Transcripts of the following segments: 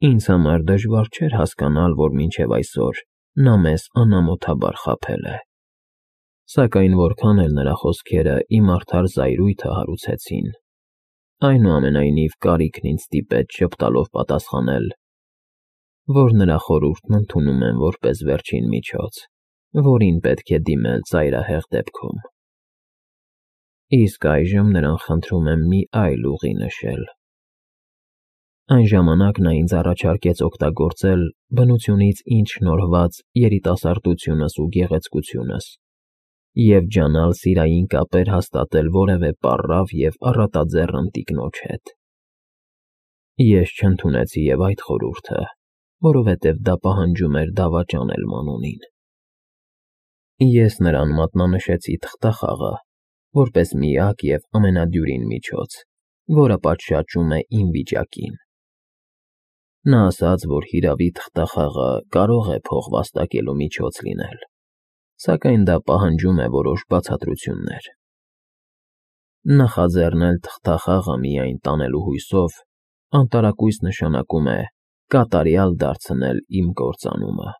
Ինձ համար դժվար չէր հասկանալ, որ մինչև այսօր նա մեզ անամոթաբար խաբել է։ Սակայն որքան էլ նրա խոսքերը իմ արդար զայրույթը հարուցեցին, այնուամենայնիվ կարիքն ինձ ստիպեց ժպտալով պատասխանել, որ նրա խորհուրդն ընդունում եմ որպես վերջին միջոց, որին պետք է դիմել ծայրահեղ դեպքում։ Իսկ այժմ նրան խնդրում եմ մի այլ ուղի նշել։ Այն ժամանակ նա ինձ առաջարկեց օգտագործել բնությունից ինձ շնորհված երիտասարդությունս ու գեղեցկությունս և ջանալ սիրային կապեր հաստատել որևէ պառավ և առատաձեռն ընտիկնոջ հետ։ Ես չընդունեցի և այդ խորհուրդը, որովհետև դա պահանջում էր դավաճանել Մանոնին։ Ես նրան մատնանշեցի թղթախաղը, որպես միակ և ամենադյուրին միջոց, որը պատշաճում է իմ վիճակին։ Նա ասաց, որ հիրավի թղթախաղը կարող է փող վաստակելու միջոց լինել, սակայն դա պահանջում է որոշ բացատրություններ։ Նախաձեռնել թղթախաղը միայն տանելու հույսով անտարակույս նշանակում է կատարյալ դարձնել իմ կործանումը,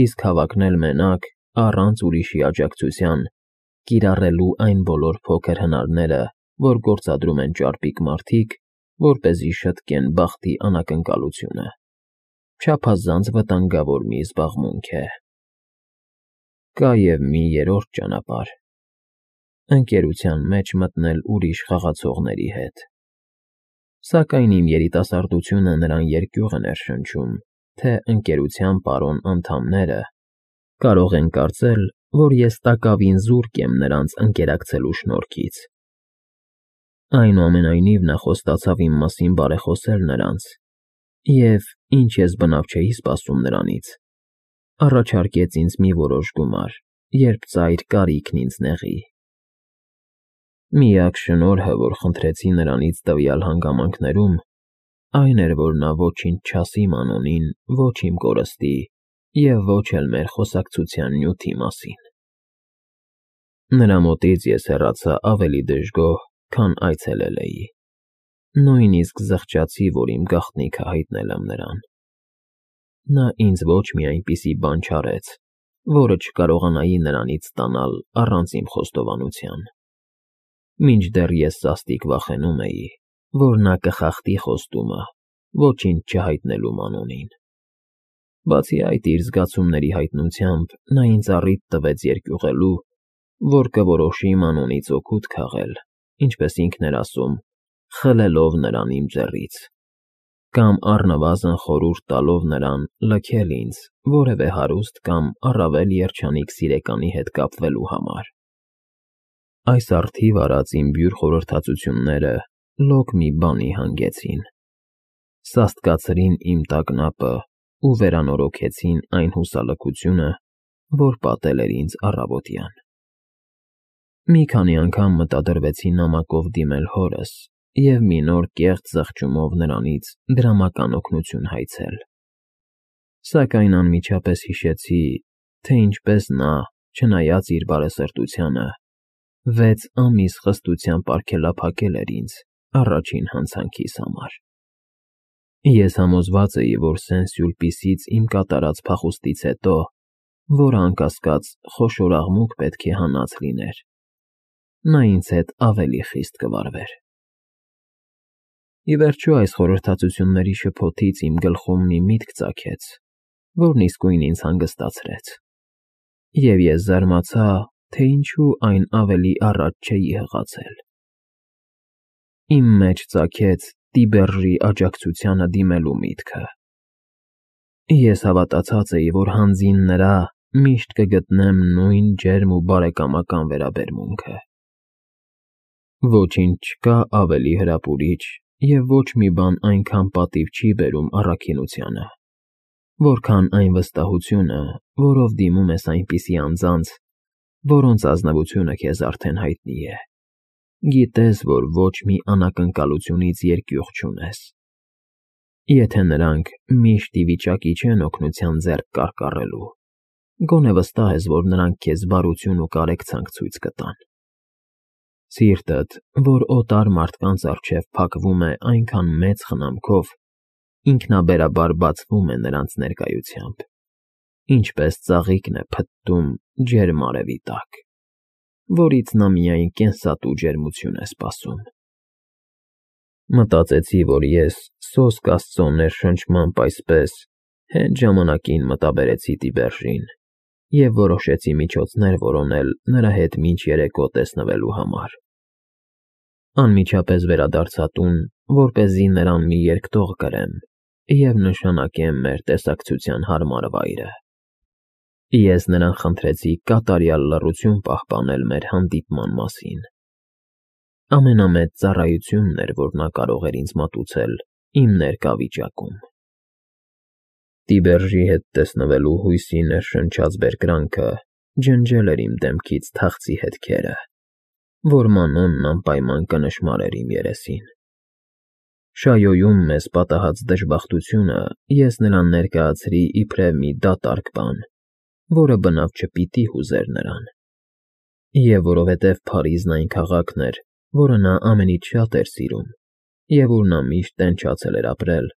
իսկ հավակնել մենակ, առանց ուրիշի աջակցության, կիրառելու այն բոլոր փոքր հնարները, որ գործադրում են ճարպիկ մարդիկ, որպեսզի շտկեն բախտի անակնկալությունը, չափազանց վտանգավոր մի զբաղմունք է։ Կա և մի երրորդ ճանապարհ՝ ընկերության մեջ մտնել ուրիշ խաղացողների հետ։ Սակայն իմ երիտասարդությունը նրան երկյուղ է ներշնչում, թե ընկերության պարոն անդամները կարող են կարծել, որ ես տակավին զուրկ եմ նրանց ընկերակցելու շնորհքից։ Այնուամենայնիվ նա խոստացավ իմ մասին բարեխոսել նրանց և, ինչ ես բնավ չէի սպասում նրանից, առաջարկեց ինձ մի որոշ գումար, երբ ծայր կարիքն ինձ նեղի։ Միակ շնորհը, որ խնդրեցի նրանից տվյալ հանգամանքներում, այն էր, որ նա ոչինչ չասի Մանոնին ոչ իմ կորստի և ոչ էլ մեր խոսակցության նյութի մասին։ Նրա մոտից ես հեռացա ավելի դժգոհ, քան այցելել էի։ Նույնիսկ զղջացի, որ իմ գաղտնիքը հայտնել եմ նրան։ Նա ինձ ոչ մի այնպիսի բան չարեց, որը չկարողանայի նրանից ստանալ առանց իմ խոստովանության։ Մինչդեռ ես սաստիկ վախենում էի, որ նա կխախտի խոստումը, ոչինչ չհայտնելու Մանոնին։ Բացի այդ, իր զգացումների հայտնությամբ նա ինձ առիթ տվեց երկյուղելու, որ կորոշի Մանոնից օգուտ քաղել, ինչպես ինքն էր ասում, խլելով նրան իմ ձեռից, կամ առնվազն խորհուրդ տալով նրան լքել ինձ որևէ հարուստ կամ առավել երջանիկ սիրեկանի հետ կապվելու համար։ Այս առթիվ արած իմ բյուր խորհրդածությունները լոկ մի բանի հանգեցին. սաստկացրին իմ տագնապը ու վերանորոգեցին այն հուսալքությունը, որ պատել էր ինձ առավոտյան։ Մի քանի անգամ մտադրվեցի նամակով դիմել հորս և մի նոր կեղծ զղջումով նրանից դրամական օգնություն հայցել։ Սակայն անմիջապես հիշեցի, թե ինչպես նա, չնայած իր բարեսրտությանը, 6 ամիս խստությամբ արգելափակել էր ինձ առաջին հանցանքիս համար։ Ես համոզված էի, որ Սեն֊Սյուլպիսից իմ կատարած փախուստից հետո, որը անկասկած խոշոր աղմուկ պետք է հանած լիներ, նա ինձ հետ ավելի խիստ կվարվեր։ Ի վերջո այս խորհրդածությունների շփոթից իմ գլխում մի միտք ծագեց, որն իսկույն ինձ հանգստացրեց, և ես զարմացա, թե ինչու այն ավելի առաջ չէի հղացել։ Իմ մեջ ծագեց Տիբերժի աջակցությանը դիմելու միտքը։ Ես հավատացած էի, որ հանձին նրա միշտ կգտնեմ նույն ջերմ ու բարեկամական վերաբերմունքը։ Ոչինչ չկա ավելի հրապուրիչ և ոչ մի բան այնքան պատիվ չի բերում առաքինությանը, որքան այն վստահությունը, որով դիմում ես այնպիսի անձանց, որոնց ազնվությունը քեզ արդեն հայտնի է, գիտես, որ ոչ մի անակնկալությունից երկյուղ չունես։ Եթե նրանք միշտ ի վիճակի չեն օգնության ձեռք կարկառելու, գոնե վստահ ես, որ նրանք քեզ բարություն ու կարեկցանք ցույց կտան։ Սիրտդ, որ օտար մարդկանց առջև փակվում է այնքան մեծ խնամքով, ինքնաբերաբար բացվում է նրանց ներկայությամբ, ինչպես ծաղիկն է փտտում ջերմ արևի տակ, որից նա միայն կենսատու ջերմություն է սպասում։ Մտածեցի, որ ես սոսկ Աստծո ներշնչմամբ այսպես հենց ժամանակին մտաբերեցի Տիբերժին և որոշեցի միջոցներ որոնել նրա հետ մինչ երեկո տեսնվելու համար։ Անմիջապես վերադարձա տուն, որպեսզի նրան մի երկտող կրեմ և նշանակեմ մեր տեսակցության հարմար վայրը։ Ես նրան խնդրեցի կատարյալ լռություն պահպանել մեր հանդիպման մասին։ Ամենամեծ ծառայությունն էր, որ նա կարող էր ինձ մատուցել իմ ներկա վիճակում։ Տիբերժի հետ տեսնվելու հույսի ներշնչած բերկրանքը ջնջել էր իմ դեմքից թախծի հետքերը, որ Մանոնն անպայման կնշմարեր իմ երեսին։ Շայոյում մեզ պատահած դժբախտությունը ես նրան ներկայացրի իբրև մի դատարկ բան, որը բնավ չպիտի հուզեր նրան։ Եվ որովհետև Փարիզն այն քաղաքն էր, որը նա ամենից շատ էր սիրում, և ուր նա միշտ տենչացել էր ապրել,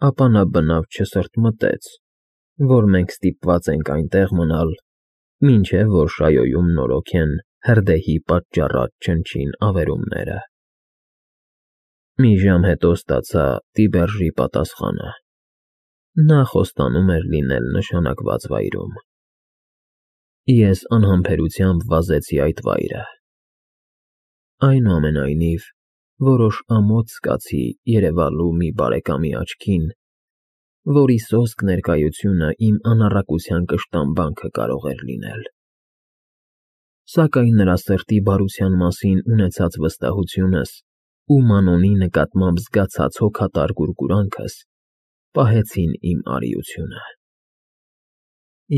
ապա նա բնավ չսրտմտեց, որ մենք ստիպված ենք այնտեղ մնալ, մինչև որ Շայոյում նորոգեն հրդեհի պատճառած չնչին ավերումները։ Մի ժամ հետո ստացա Տիբերժի պատասխանը։ Նա խոստանում էր լինել նշանակված վայրում։ Ես անհամբերությամբ վազեցի այդ վայրը։ Այնուամենայնիվ, որոշ ամոթ զգացի երևալու մի բարեկամի աչքին, որի սոսկ ներկայությունը իմ անառակության կշտամբանքը կարող էր լինել։ Սակայն նրա սրտի բարության մասին ունեցած վստահությունս ու Մանոնի նկատմամբ զգացած հոգատար գուրգուրանքս պահեցին իմ արիությունը։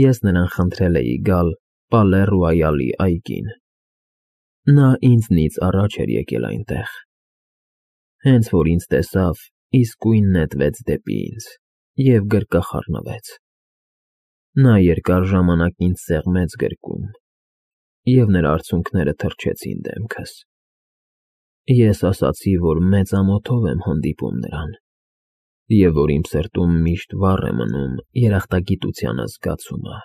Ես նրան խնդրել էի գալ Պալե Ռոյալի այգին։ Նա ինձնից առաջ էր եկել այնտեղ։ Հենց որ ինձ տեսավ, իսկույն նետվեց դեպի ինձ և գրկախառնվեց։ Նա երկար ժամանակ ինձ սեղմեց գրկում, և նրա արցունքները թրջեցին դեմքս։ Ես ասացի, որ մեծ ամոթով եմ հանդիպում նրան, և որ իմ սրտում միշտ վառ է մնում երախտագիտության զգացումը։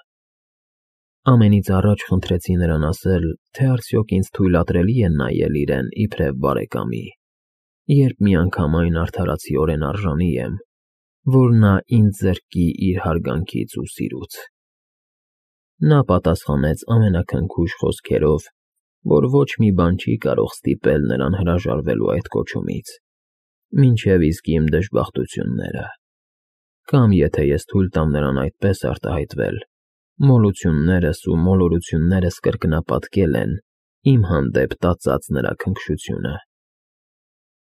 Ամենից առաջ խնդրեցի նրան ասել, թե արդյոք ինձ թույլատրելի է նայել իրեն իբրև բարեկամի, երբ միանգամայն արդարացիորեն արժանի եմ, որ նա ինձ զրկի իր հարգանքից ու սիրուց։ Նա պատասխանեց ամենաքնքուշ խոսքերով, որ ոչ մի բան չի կարող ստիպել նրան հրաժարվելու այդ կոչումից, մինչև իսկ իմ դժբախտությունները, կամ եթե ես թույլ տամ նրան այդպես արտահայտվել, մոլություններս ու մոլորություններս կրկնապատկել են իմ հանդեպ տածած նրա քնքշությունը։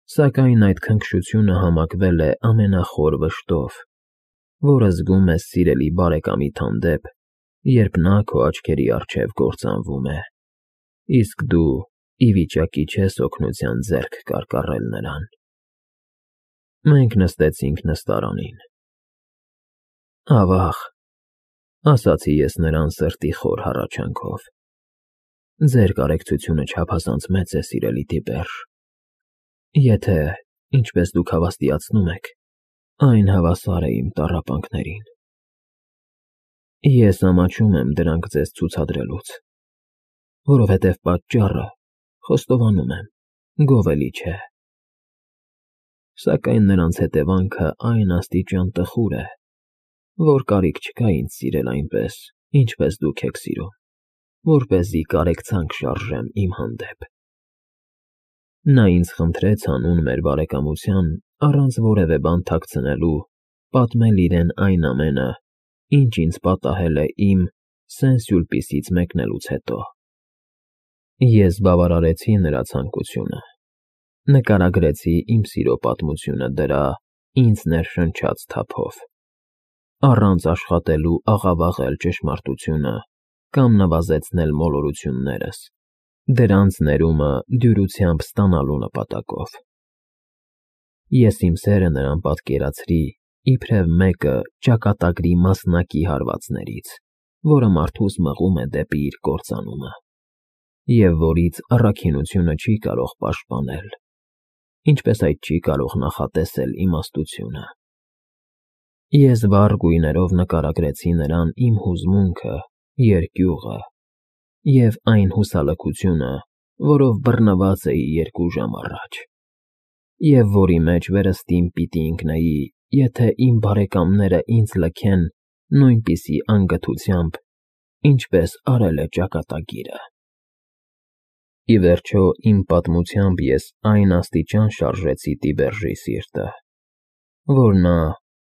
Սակայն այդ քնքշությունը համակվել է ամենախոր վշտով, որը զգում ես սիրելի բարեկամիդ հանդեպ, երբ նա քո աչքերի առջև կործանվում է, իսկ դու ի վիճակի չես օգնության ձեռք կարկառել նրան։ Մենք նստեցինք նստարանին։ Ավաղ, ասացի ես նրան սրտի խոր հառաչանքով, ձեր կարեկցությունը չափազանց մեծ է, սիրելի Տիբերժ, եթե, ինչպես դուք հավաստիացնում եք, այն հավասար է իմ տառապանքներին։ Ես ամաչում եմ դրանք ձեզ ցուցադրելուց, որովհետև պատճառը, խոստովանում եմ, գովելի չէ։ Սակայն նրանց հետևանքը այն աստիճան տխուր է, որ կարիք չկա ինձ սիրել այնպես, ինչպես դուք եք սիրում, որպեսզի կարեկցանք շարժեմ իմ հանդեպ։ Նա ինձ խնդրեց հանուն մեր բարեկամության, առանց որևէ բան թաքցնելու, պատմել իրեն այն ամենը, ինչ ինձ պատահել է իմ Սեն֊Սյուլպիսից մեկնելուց հետո։ Ես բավարարեցի նրա ցանկությունը, նկարագրեցի իմ սիրո պատմությունը դրա ինձ ներշնչած թափով, առանց աշխատելու աղավաղել ճշմարտությունը կամ նվազեցնել մոլորություններս, դրանց ներումը դյուրությամբ ստանալու նպատակով։ Ես իմ սերը նրան պատկերացրի իբրև մեկը ճակատագրի մասնակի հարվածներից, որը մարդուս մղում է դեպի իր կործանումը, և որից առաքինությունը չի կարող պաշտպանել, ինչպես այդ չի կարող նախատեսել իմաստությունը։ Ես վառ գույներով նկարագրեցի նրան իմ հուզմունքը, երկյուղը և այն հուսալքությունը, որով բռնված էի 2 ժամ առաջ, և որի մեջ վերստին պիտի ընկնեի, եթե իմ բարեկամները ինձ լքեն նույնպիսի անգթությամբ, ինչպես արել է ճակատագիրը։ Ի վերջո, իմ պատմությամբ ես այն աստիճան շարժեցի Տիբերժի սիրտը, որ նա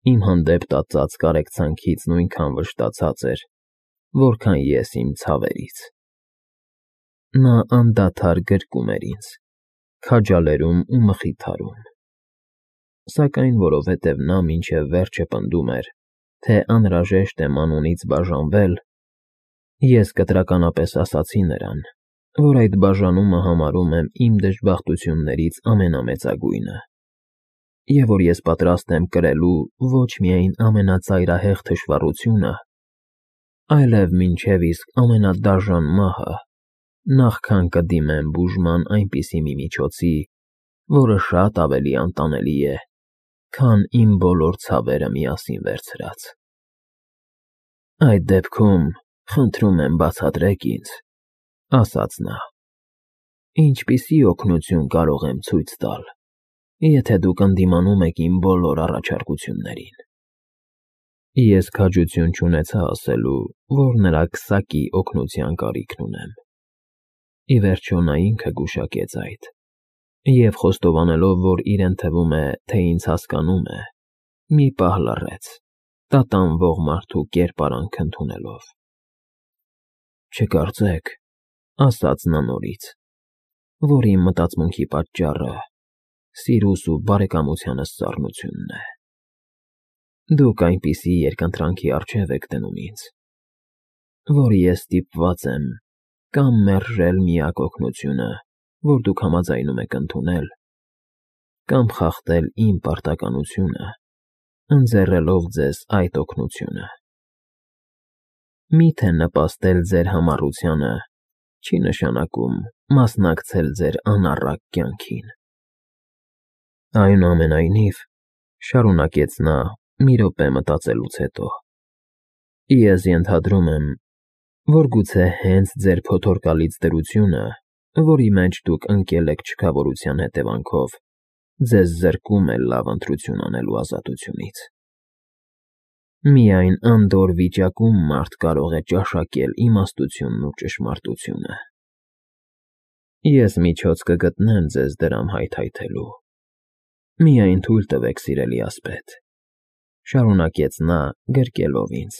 իմ հանդեպ տածած կարեկցանքից նույնքան վշտացած էր, որքան ես իմ ցավերից։ Նա անդադար գրկում էր ինձ, քաջալերում ու մխիթարում։ Սակայն որովհետև նա մինչև վերջը պնդում էր, թե անհրաժեշտ է մանունից բաժանվել, ես կտրականապես ասացի նրան, որ այդ բաժանումը համարում եմ իմ դժբախտություններից ամենամեծագույնը, և որ ես պատրաստ եմ կրելու ոչ միայն ամենածայրահեղ թշվառությունը, այլև մինչև իսկ ամենադաժան մահը, նախքան կդիմեմ բուժման այնպիսի մի միջոցի, որը շատ ավելի անտանելի է, քան իմ բոլոր ցավերը միասին վերցրած։ Այդ դեպքում, խնդրում եմ բացատրեք ինձ, ասաց նա, ինչպիսի օգնություն կարող եմ ցույց տալ, եթե դուք ընդդիմանում եք իմ բոլոր առաջարկություններին։ Ես քաջություն չունեցա ասելու, որ նրա քսակի օգնության կարիքն ունեմ։ Ի վերջո նա ինքը գուշակեց այդ, և խոստովանելով, որ իրեն թվում է, թե ինձ հասկանում է, մի պահ լռեց, տատանվող մարդու կերպարանք ընդունելով։ Չկարծեք, ասաց նա նորից, որ իմ մտածմունքի պատճառը սիրուս ու բարեկամությանս սառնությունն է։ Դուք այնպիսի երկընտրանքի առջև եք դնում ինձ, որ ես ստիպված եմ կամ մերժել միակ օգնությունը, որ դուք համաձայնում եք ընդունել, կամ խախտել իմ պարտականությունը, ընձեռելով ձեզ այդ օգնությունը։ Միթե նպաստել ձեր համառությանը չի նշանակում մասնակցել ձեր անառակ կյանքին։ Այնուամենայնիվ, շարունակեց նա մի րոպե մտածելուց հետո, ես ենթադրում եմ, որ գուցե հենց ձեր փոթորկալից դրությունը, որի մեջ դուք ընկել եք չքավորության հետևանքով, ձեզ զրկում է լավ ընտրություն անելու ազատությունից։ Միայն անդորր վիճակում մարդ կարող է ճաշակել իմաստությունն ու ճշմարտությունը։ Ես միջոց կգտնեմ ձեզ դրամ հայթայթելու։ Միայն թույլ տվեք, սիրելի ասպետ, շարունակեց նա, գրկելով ինձ,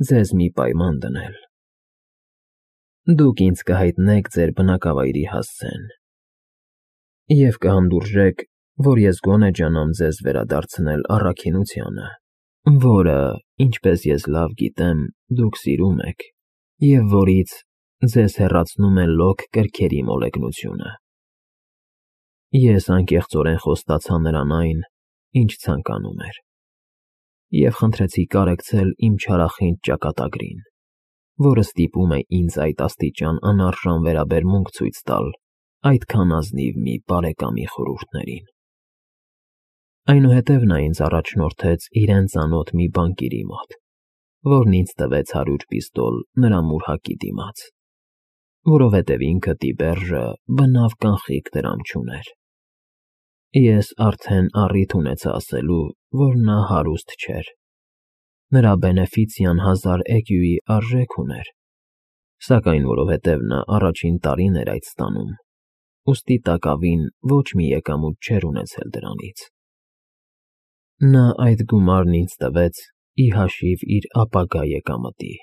ձեզ մի պայման դնել։ Դուք ինձ կհայտնեք ձեր բնակավայրի հասցեն և կհանդուրժեք, որ ես գոնե ջանամ ձեզ վերադարձնել առաքինությանը, որը, ինչպես ես լավ գիտեմ, դուք սիրում եք, և որից ձեզ հեռացնում է լոկ կրքերի մոլեգնությունը։ Ես անկեղծորեն խոստացա նրան այն, ինչ ցանկանում էր, և խնդրեցի կարեկցել իմ չարախինդ ճակատագրին, որը ստիպում է ինձ այդ աստիճան անարժան վերաբերմունք ցույց տալ այդքան ազնիվ մի բարեկամի խորհուրդներին։ Այնուհետև նա ինձ առաջնորդեց իրեն ծանոթ մի բանկիրի մոտ, որն ինձ տվեց 100 պիստոլ նրա մուրհակի դիմաց, որովհետև ինքը Տիբերժը բնավ կանխիկ դրամ չուներ։ Ես արդեն առիթ ունեցա ասելու, որ նա հարուստ չէր։ Նրա բենեֆիցիան 1000 էկյուի արժեք ուներ, սակայն որովհետև նա առաջին տարին էր այդ ստանում, ուստի տակավին ոչ մի եկամուտ չէր ունեցել դրանից։ Նա այդ գումարն ինձ տվեց ի հաշիվ իր ապագա եկամտի։